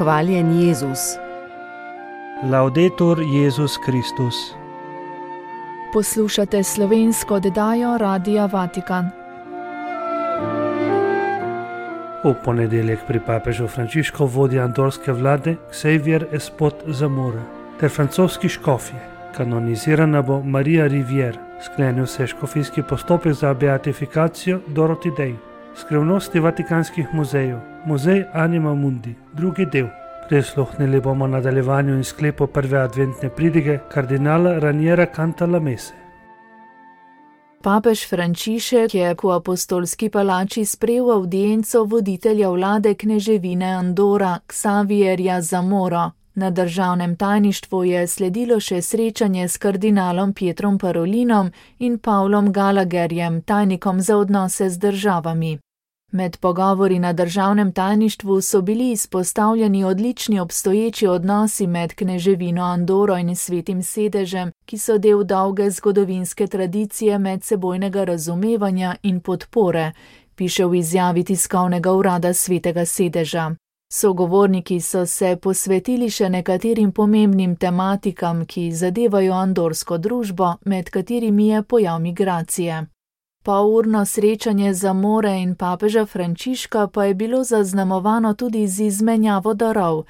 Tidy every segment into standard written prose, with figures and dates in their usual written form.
Hvaljen Jezus. Laudetur Jezus Kristus. Poslušate slovensko oddajo Radia Vatikan. V ponedeljek pri papežu Frančišku vodja andorske vlade Xavier Espot Zamora ter francoski škofje. Kanonizirana bo Marija Rivière. Sklenil se je škofijski postopek za beatifikacijo Dorothy Day. Skrivnosti vatikanskih muzejev. Muzej Anima Mundi. Drugi del. Prisluhnili bomo nadaljevanju in sklepu prve adventne pridige kardinala Raniera Cantalamesse. Papež Frančišek je v apostolski palači sprejel avdienco voditelja vlade kneževine Andora Xavierja Zamoro. Na državnem tajništvu je sledilo še srečanje s kardinalom Pietrom Parolinom in Pavlom Gallagherjem, tajnikom za odnose z državami. Med pogovori na državnem tajništvu so bili izpostavljeni odlični obstoječi odnosi med kneževino Andoro in Svetim sedežem, ki so del dolge zgodovinske tradicije medsebojnega razumevanja in podpore, piše v izjavi tiskovnega urada Svetega sedeža. Sogovorniki so se posvetili še nekaterim pomembnim tematikam, ki zadevajo andorsko družbo, med katerimi je pojav migracije. Polurno srečanje Zamore in papeža Frančiška pa je bilo zaznamovano tudi z izmenjavo darov.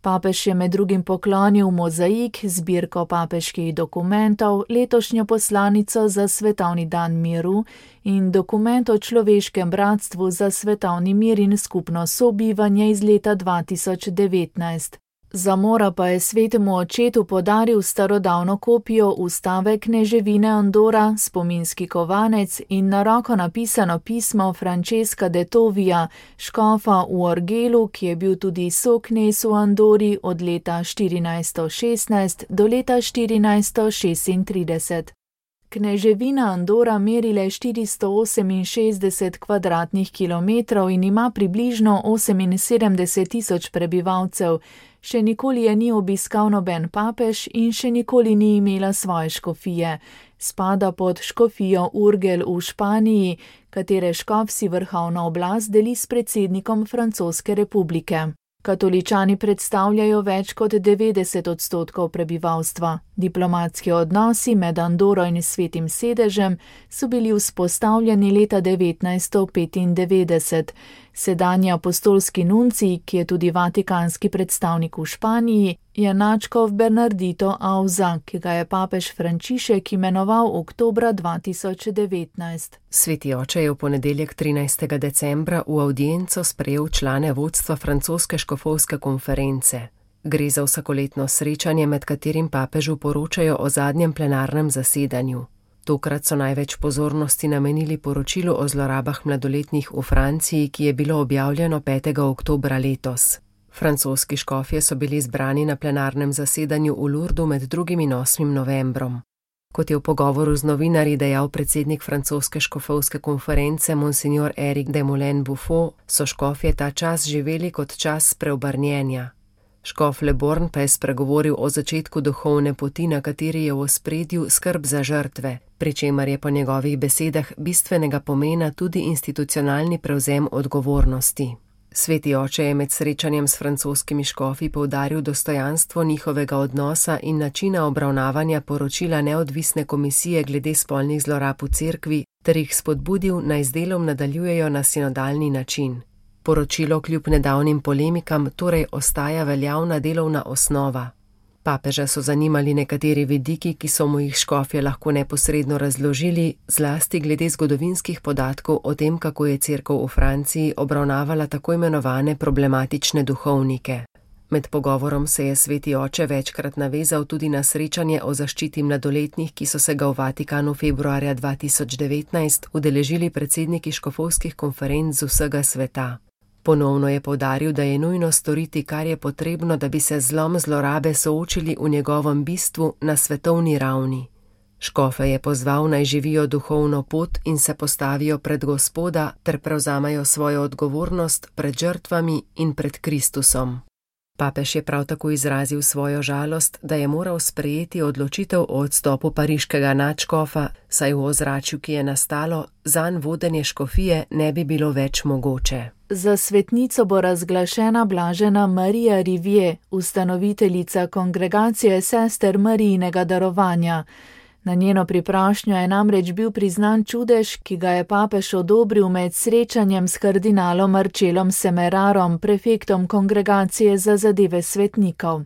Papež je med drugim poklonil mozaik, zbirko papeških dokumentov, letošnjo poslanico za svetovni dan miru in dokument o človeškem bratstvu za svetovni mir in skupno sobivanje iz leta 2019. Zamora pa je svetemu očetu podaril starodavno kopijo ustave kneževine Andora, spominski kovanec in na roko napisano pismo Francesca de Tovija, škofa v Orgelu, ki je bil tudi soknez v Andori od leta 1416 do leta 1436. Kneževina Andora meri le 468 kvadratnih kilometrov in ima približno 78.000 prebivalcev. Še nikoli je ni obiskal noben papež in še nikoli ni imela svoje škofije. Spada pod škofijo Urgel v Španiji, katere škof si vrhovno oblast deli s predsednikom Francoske republike. Katoličani predstavljajo več kot 90% prebivalstva. Diplomatski odnosi med Andoro in Svetim sedežem so bili vzpostavljeni leta 1995. Sedanji apostolski nuncij, ki je tudi vatikanski predstavnik v Španiji, je nadškof Bernardito Auza, ki ga je papež Frančišek imenoval oktobra 2019. Sveti oče je v ponedeljek 13. decembra v avdienco sprejel člane vodstva francoske škofovske konference. Gre za vsakoletno srečanje, med katerim papežu poročajo o zadnjem plenarnem zasedanju. Tokrat so največ pozornosti namenili poročilu o zlorabah mladoletnih v Franciji, ki je bilo objavljeno 5. oktobra letos. Francoski škofje so bili zbrani na plenarnem zasedanju v Lourdu med 2. in 8. novembrom. Kot je v pogovoru z novinarji dejal predsednik francoske škofovske konference Monsignor Eric de Moulin-Buffon, so škofje ta čas živeli kot čas preobrnjenja. Škof Le Born pa je spregovoril o začetku duhovne poti, na kateri je v ospredju skrb za žrtve, pri čemer je po njegovih besedah bistvenega pomena tudi institucionalni prevzem odgovornosti. Sveti oče je med srečanjem s francoskimi škofi poudaril dostojanstvo njihovega odnosa in načina obravnavanja poročila neodvisne komisije glede spolnih zlorab v cerkvi ter jih spodbudil, naj z delom nadaljujejo na sinodalni način. Poročilo kljub nedavnim polemikam torej ostaja veljavna delovna osnova. Papeža so zanimali nekateri vidiki, ki so mu jih škofje lahko neposredno razložili, zlasti glede zgodovinskih podatkov o tem, kako je cerkev v Franciji obravnavala tako imenovane problematične duhovnike. Med pogovorom se je sveti oče večkrat navezal tudi na srečanje o zaščiti mladoletnih, ki so se ga v Vatikanu februarja 2019 udeležili predsedniki škofovskih konferenc z vsega sveta. Ponovno je poudaril, da je nujno storiti, kar je potrebno, da bi se zlom zlorabe soočili v njegovem bistvu na svetovni ravni. Škofe je pozval, naj živijo duhovno pot in se postavijo pred Gospoda ter prevzamajo svojo odgovornost pred žrtvami in pred Kristusom. Papež je prav tako izrazil svojo žalost, da je moral sprejeti odločitev o odstopu pariškega nadškofa, saj v ozračju, ki je nastalo, zanj vodenje škofije ne bi bilo več mogoče. Za svetnico bo razglašena blažena Marija Riviere, ustanoviteljica kongregacije sester Marijinega darovanja. Na njeno priprošnjo je namreč bil priznan čudež, ki ga je papež odobril med srečanjem s kardinalom Marcellom Semerarom, prefektom kongregacije za zadeve svetnikov.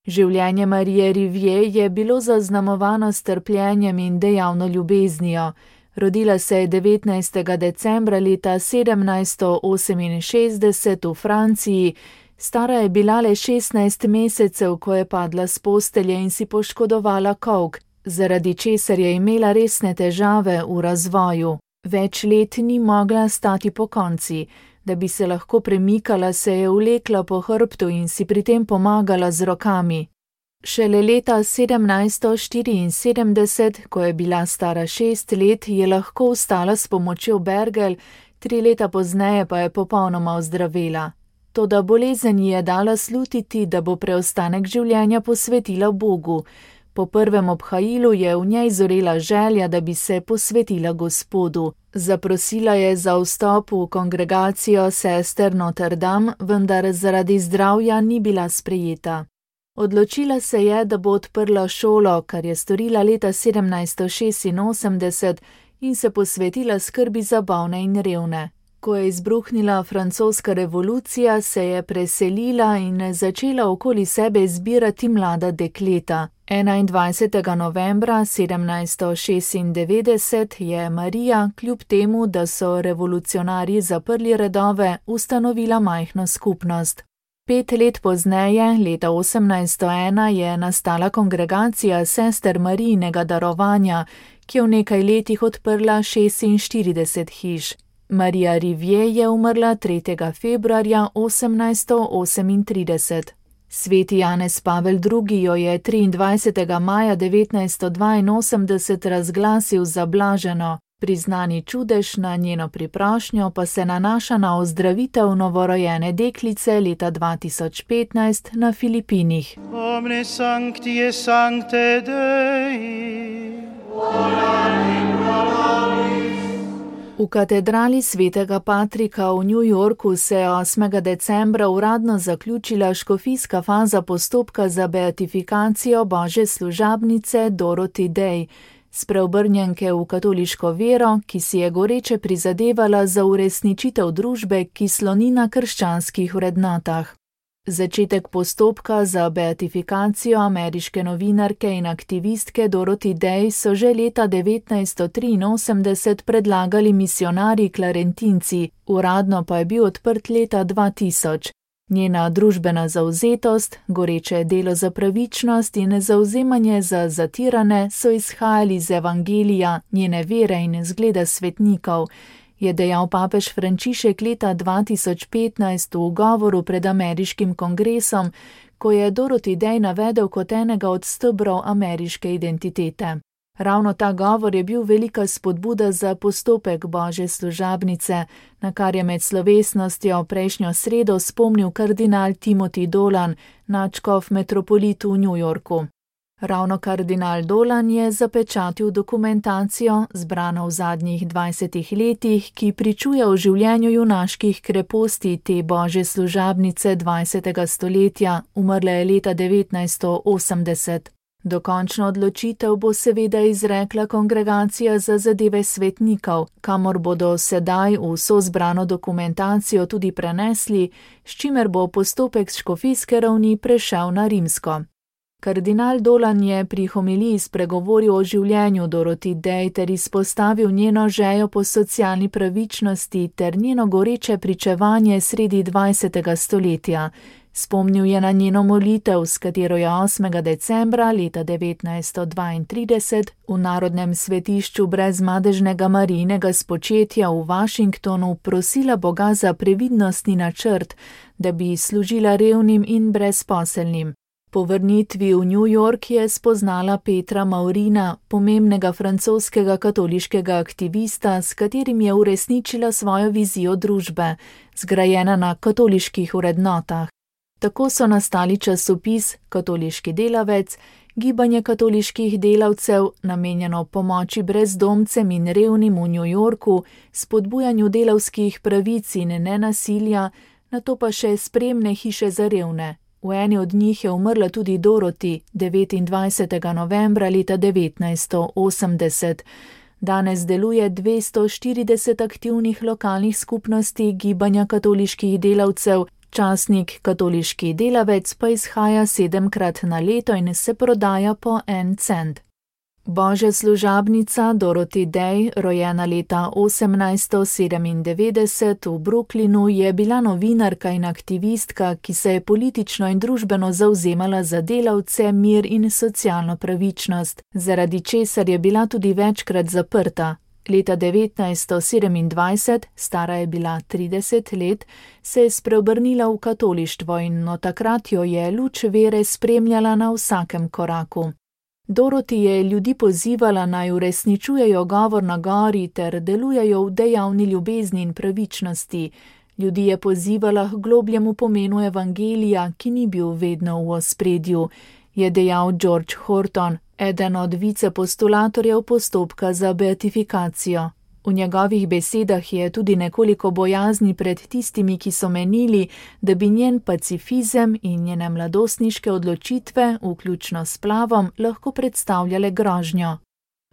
Življenje Marije Riviere je bilo zaznamovano s trpljenjem in dejavno ljubeznijo. Rodila se je 19. decembra leta 1768 v Franciji, stara je bila le 16 mesecev, ko je padla s postelje in si poškodovala kolk, zaradi česar je imela resne težave v razvoju. Več let ni mogla stati pokonci. Da bi se lahko premikala, se je vlekla po hrbtu in si pri tem pomagala z rokami. Šele leta 1774, ko je bila stara 6 let, je lahko vstala s pomočjo bergel, 3 leta pozneje pa je popolnoma ozdravela. Toda bolezen ji je dala slutiti, da bo preostanek življenja posvetila Bogu. Po prvem obhajilu je v njej zorela želja, da bi se posvetila Gospodu. Zaprosila je za vstop v kongregacijo sester Notre Dame, vendar zaradi zdravja ni bila sprejeta. Odločila se je, da bo odprla šolo, kar je storila leta 1786 in se posvetila skrbi za bolne in revne. Ko je izbruhnila francoska revolucija, se je preselila in začela okoli sebe zbirati mlada dekleta. 21. novembra 1796 je Marija, kljub temu, da so revolucionarji zaprli redove, ustanovila majhno skupnost. 5 let pozneje, leta 1801, je nastala kongregacija sester Marijinega darovanja, ki je v nekaj letih odprla 46 hiš. Marija Riviere je umrla 3. februarja 1838. Sveti Janez Pavel II. Jo je 23. maja 1982 razglasil za blaženo. Priznani čudež na njeno priprošnjo pa se nanaša na ozdravitev novorojene deklice leta 2015 na Filipinih. Omne sancti sancte Dei, V katedrali svetega Patrika v New Yorku se je 8. decembra uradno zaključila škofijska faza postopka za beatifikacijo Božje služabnice Dorothy Day, spreobrnjenke v katoliško vero, ki si je goreče prizadevala za uresničitev družbe, ki sloni na krščanskih vrednotah. Začetek postopka za beatifikacijo ameriške novinarke in aktivistke Dorothy Day so že leta 1983 predlagali misionarji klarentinci, uradno pa je bil odprt leta 2000. Njena družbena zavzetost, goreče delo za pravičnost in zavzemanje za zatirane so izhajali iz evangelija, njene vere in zgleda svetnikov, je dejal papež Frančišek leta 2015 v govoru pred ameriškim kongresom, ko je Dorothy Day navedel kot enega od stebrov ameriške identitete. Ravno ta govor je bil velika spodbuda za postopek Božje služabnice, na kar je med slovesnostjo prejšnjo sredo spomnil kardinal Timothy Dolan, nadškof metropolit v New Yorku. Ravno kardinal Dolan je zapečatil dokumentacijo, zbrano v zadnjih 20 letih, ki pričuje o življenju junaških kreposti te Božje služabnice 20. stoletja, umrla je leta 1980. Dokončno odločitev bo seveda izrekla kongregacija za zadeve svetnikov, kamor bodo sedaj vso zbrano dokumentacijo tudi prenesli, s čimer bo postopek s škofijske ravni prešel na rimsko. Kardinal Dolan je pri homiliji spregovoril o življenju Dorothy Day ter izpostavil njeno željo po socialni pravičnosti ter njeno goreče pričevanje sredi 20. stoletja. Spomnil je na njeno molitev, s katero je 8. decembra leta 1932 v Narodnem svetišču brezmadežnega Marijinega spočetja v Washingtonu prosila Boga za previdnostni načrt, da bi služila revnim in brezposelnim. Po vrnitvi v New York je spoznala Petra Maurina, pomembnega francoskega katoliškega aktivista, s katerim je uresničila svojo vizijo družbe, zgrajena na katoliških vrednotah. Tako so nastali časopis Katoliški delavec, gibanje katoliških delavcev, namenjeno pomoči brezdomcem in revnim v New Yorku, spodbujanju delavskih pravic in nenasilja, nato pa še spremne hiše za revne. V eni od njih je umrla tudi Dorothy 29. novembra leta 1980. Danes deluje 240 aktivnih lokalnih skupnosti gibanja katoliških delavcev, časnik Katoliški delavec pa izhaja 7-krat na leto in se prodaja po 1 cent. Božja služabnica Dorothy Day, rojena leta 1897 v Brooklynu, je bila novinarka in aktivistka, ki se je politično in družbeno zavzemala za delavce, mir in socialno pravičnost, zaradi česar je bila tudi večkrat zaprta. Leta 1927, stara je bila 30 let, se je spreobrnila v katolištvo in od takrat jo je luč vere spremljala na vsakem koraku. Dorothy je ljudi pozivala naj uresničujejo govor na gori ter delujejo v dejavni ljubezni in pravičnosti. Ljudi je pozivala k globljemu pomenu evangelija, ki ni bil vedno v ospredju, je dejal George Horton, eden od vicepostulatorjev postopka za beatifikacijo. V njegovih besedah je tudi nekoliko bojazni pred tistimi, ki so menili, da bi njen pacifizem in njene mladostniške odločitve, vključno s splavom, lahko predstavljale grožnjo.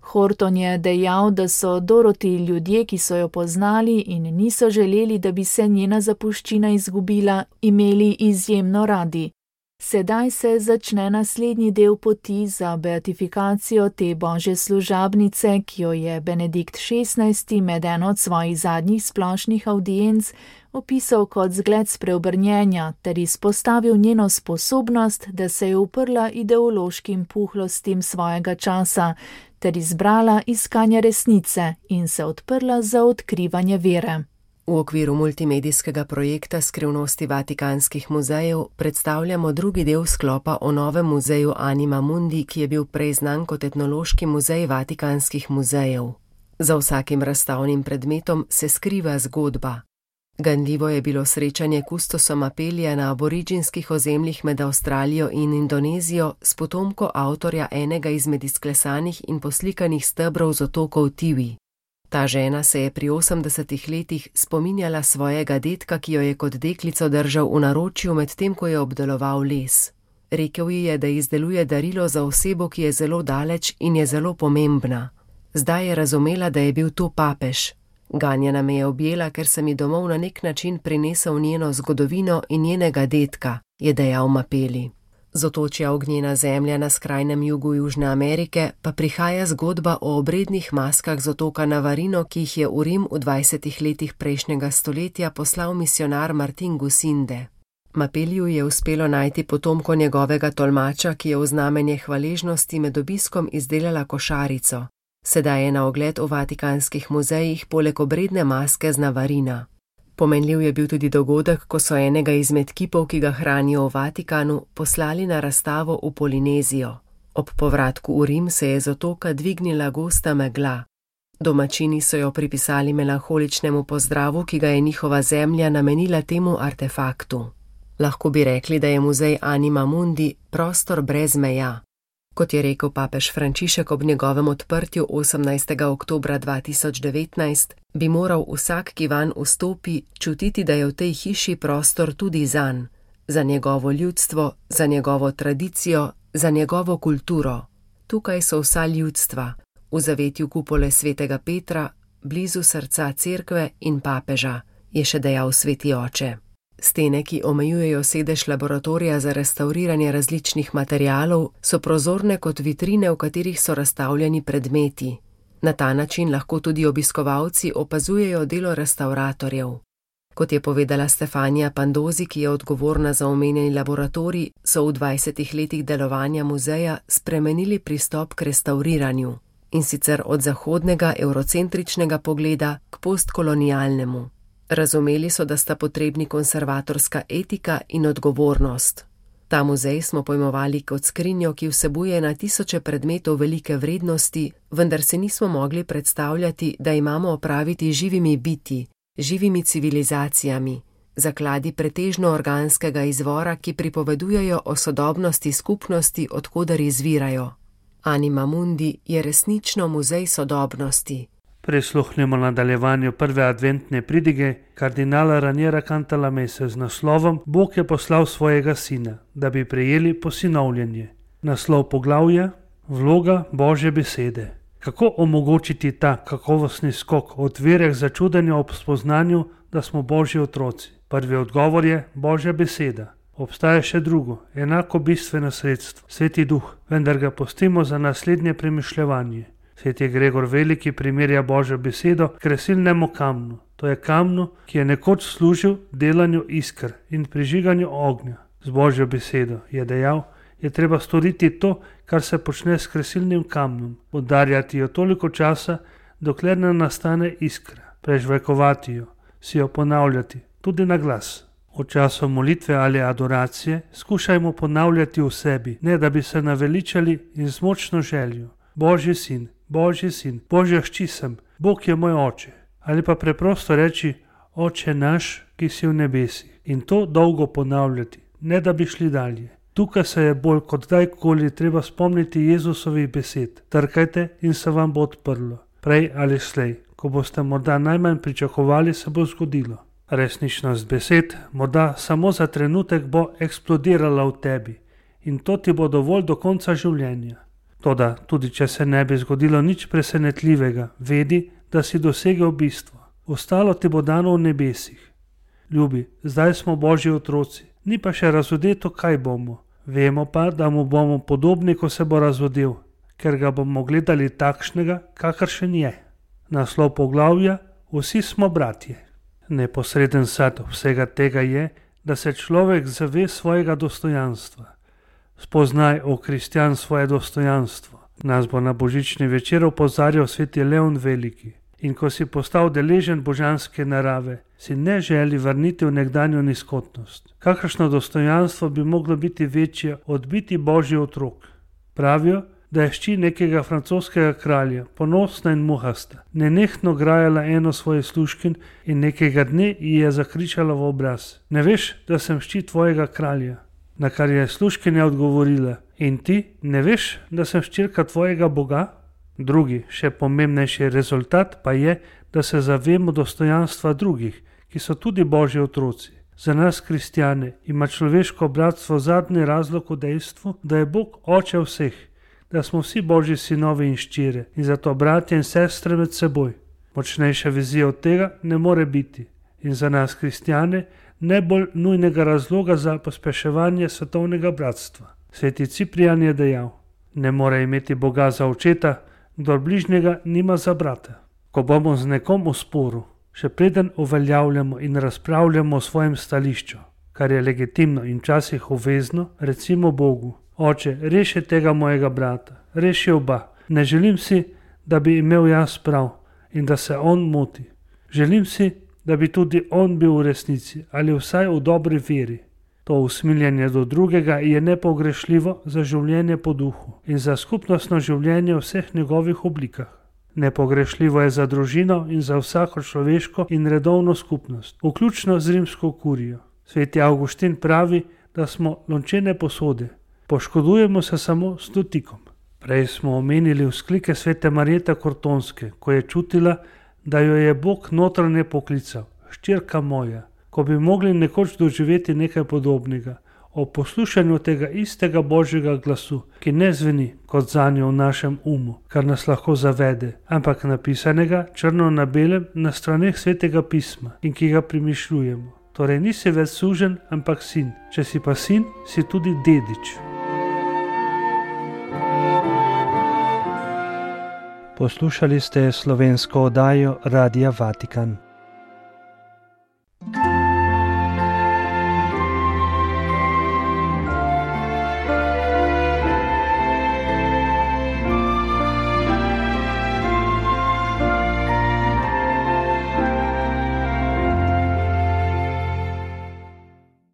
Horton je dejal, da so Dorothy ljudje, ki so jo poznali in niso želeli, da bi se njena zapuščina izgubila, imeli izjemno radi. Sedaj se začne naslednji del poti za beatifikacijo te božje služabnice, ki jo je Benedikt XVI med eno od svojih zadnjih splošnih avdienc opisal kot zgled spreobrnjenja ter izpostavil njeno sposobnost, da se je uprla ideološkim puhlostim svojega časa ter izbrala iskanje resnice in se odprla za odkrivanje vere. V okviru multimedijskega projekta Skrivnosti vatikanskih muzejev predstavljamo drugi del sklopa o novem muzeju Anima Mundi, ki je bil prej znan kot etnološki muzej vatikanskih muzejev. Za vsakim razstavnim predmetom se skriva zgodba. Ganljivo je bilo srečanje kustosa Mapelija na aboriginskih ozemljih med Avstralijo in Indonezijo s potomko avtorja enega izmed izklesanih in poslikanih stebrov z otokov Tiwi. Ta žena se je pri 80 letih spominjala svojega dedka, ki jo je kot deklico držal v naročju medtem, ko je obdeloval les. Rekel ji je, da izdeluje darilo za osebo, ki je zelo daleč in je zelo pomembna. Zdaj je razumela, da je bil to papež. Ganjena me je objela, ker sem ji domov na nek način prinesel njeno zgodovino in njenega dedka, je dejal Mapeli. Z otočja Ognjena zemlja na skrajnem jugu Južne Amerike pa prihaja zgodba o obrednih maskah z otoka Navarino, ki jih je v Rim v 20 letih prejšnjega stoletja poslal misionar Martin Gusinde. Mapeliju je uspelo najti potomko njegovega tolmača, ki je v znamenje hvaležnosti med obiskom izdelala košarico. Sedaj je na ogled v vatikanskih muzejih poleg obredne maske z Navarina. Pomenljiv je bil tudi dogodek, ko so enega izmed kipov, ki ga hranijo v Vatikanu, poslali na razstavo v Polinezijo. Ob povratku v Rim se je z otoka dvignila gosta megla. Domačini so jo pripisali melanholičnemu pozdravu, ki ga je njihova zemlja namenila temu artefaktu. Lahko bi rekli, da je muzej Anima Mundi prostor brez meja. Kot je rekel papež Frančišek ob njegovem odprtju 18. oktobra 2019, bi moral vsak, ki vanj vstopi, čutiti, da je v tej hiši prostor tudi zanj, za njegovo ljudstvo, za njegovo tradicijo, za njegovo kulturo. Tukaj so vsa ljudstva, v zavetju kupole svetega Petra, blizu srca cerkve in papeža, je še dejal sveti oče. Stene, ki omejujejo sedež laboratorija za restavriranje različnih materialov, so prozorne kot vitrine, v katerih so razstavljeni predmeti. Na ta način lahko tudi obiskovalci opazujejo delo restavratorjev. Kot je povedala Stefania Pandozi, ki je odgovorna za omenjeni laboratorij, so v 20 letih delovanja muzeja spremenili pristop k restavriranju, in sicer od zahodnega eurocentričnega pogleda k postkolonialnemu. Razumeli so, da sta potrebni konservatorska etika in odgovornost. Ta muzej smo pojmovali kot skrinjo, ki vsebuje na tisoče predmetov velike vrednosti, vendar se nismo mogli predstavljati, da imamo opraviti živimi biti, živimi civilizacijami, zakladi pretežno organskega izvora, ki pripovedujejo o sodobnosti skupnosti, odkoder izvirajo. Anima Mundi je resnično muzej sodobnosti. Prisluhnimo nadaljevanju prve adventne pridige kardinala Raniera Cantalamesse z naslovom Bog je poslal svojega sina, da bi prejeli posinovljenje. Naslov poglavja: Vloga Božje besede. Kako omogočiti ta kakovostni skok od vere k začudenju ob spoznanju, da smo Božji otroci? Prvi odgovor je Božja beseda. Obstaja še drugo, enako bistveno sredstvo, Sveti Duh, vendar ga pustimo za naslednje premišljevanje. Sveti Gregor Veliki primerja Božjo besedo k kresilnemu kamnu. To je kamnu, ki je nekoč služil delanju isker in prižiganju ognja. Z Božjo besedo, je dejal, je treba storiti to, kar se počne s kresilnim kamnom, udarjati jo toliko časa, dokler ne nastane iskra, prežvekovati jo, si jo ponavljati, tudi na glas. V času molitve ali adoracije skušajmo ponavljati v sebi, ne da bi se naveličali in z močno željo. Božji sin, Božji sin, Božja hči sem, Bog je moj oče. Ali pa preprosto reči, Oče naš, ki si v nebesih. In to dolgo ponavljati, ne da bi šli dalje. Tukaj se je bolj kot kdajkoli treba spomniti Jezusovih besed. Trkajte in se vam bo odprlo. Prej ali slej, ko boste morda najmanj pričakovali, se bo zgodilo. Resničnost besed morda samo za trenutek bo eksplodirala v tebi in to ti bo dovolj do konca življenja. Toda tudi če se ne bi zgodilo nič presenetljivega, vedi, da si dosegel bistvo. Ostalo ti bo dano v nebesih. Ljubi, zdaj smo Božji otroci, ni pa še razvodeto, kaj bomo. Vemo pa, da mu bomo podobni, ko se bo razvodel, ker ga bomo gledali takšnega, kakršen je. Naslov poglavja: Vsi smo bratje. Neposreden sad vsega tega je, da se človek zave svojega dostojanstva. Spoznaj, o kristjan, svoje dostojanstvo. Nas bo na božični večer opozarjal sveti Leon Veliki. In ko si postal deležen božanske narave, si ne želi vrniti v nekdanjo nizkotnost. Kakršno dostojanstvo bi moglo biti večje od biti Božji otrok? Pravijo, da je hči nekega francoskega kralja, ponosna in muhasta, nenehno grajala eno svojih služkin in nekega dne ji je zakričala v obraz: Ne veš, da sem hči tvojega kralja? Na kar je služkinja odgovorila: In ti ne veš, da sem hčerka tvojega Boga? Drugi, še pomembnejši rezultat pa je, da se zavemo dostojanstva drugih, ki so tudi Božji otroci. Za nas, kristjane, ima človeško bratstvo zadnji razlog v dejstvu, da je Bog oče vseh, da smo vsi Božji sinovi in ščire in zato bratje in sestre med seboj. Močnejša vizija od tega ne more biti in za nas, kristjane, ne bolj nujnega razloga za pospeševanje svetovnega bratstva. Sveti Ciprijan je dejal: Ne more imeti Boga za očeta, kdor bližnjega nima za brata. Ko bomo z nekom v sporu, še preden uveljavljamo in razpravljamo o svojem stališču, kar je legitimno in včasih obvezno, recimo Bogu: Oče, reši tega mojega brata, reši oba. Ne želim si, da bi imel jaz prav in da se on moti. Želim si, da bi tudi on bil v resnici ali vsaj v dobri veri. To usmiljenje do drugega je nepogrešljivo za življenje po duhu in za skupnostno življenje v vseh njegovih oblikah. Nepogrešljivo je za družino in za vsako človeško in redovno skupnost, vključno z rimsko kurijo. Sveti Avguštin pravi, da smo lončene posode. Poškodujemo se samo s dotikom. Prej smo omenili vzklike svete Marjete Kortonske, ko je čutila, da jo je Bog notranje poklical: Hčerka moja. Ko bi mogli nekoč doživeti nekaj podobnega, ob poslušanju tega istega Božjega glasu, ki ne zveni kot zanjo v našem umu, kar nas lahko zavede, ampak napisanega črno na belem na straneh svetega pisma in ki ga premišljujemo. Torej nisi več suženj, ampak sin. Če si pa sin, si tudi dedič. Poslušali ste slovensko oddajo Radia Vatikan.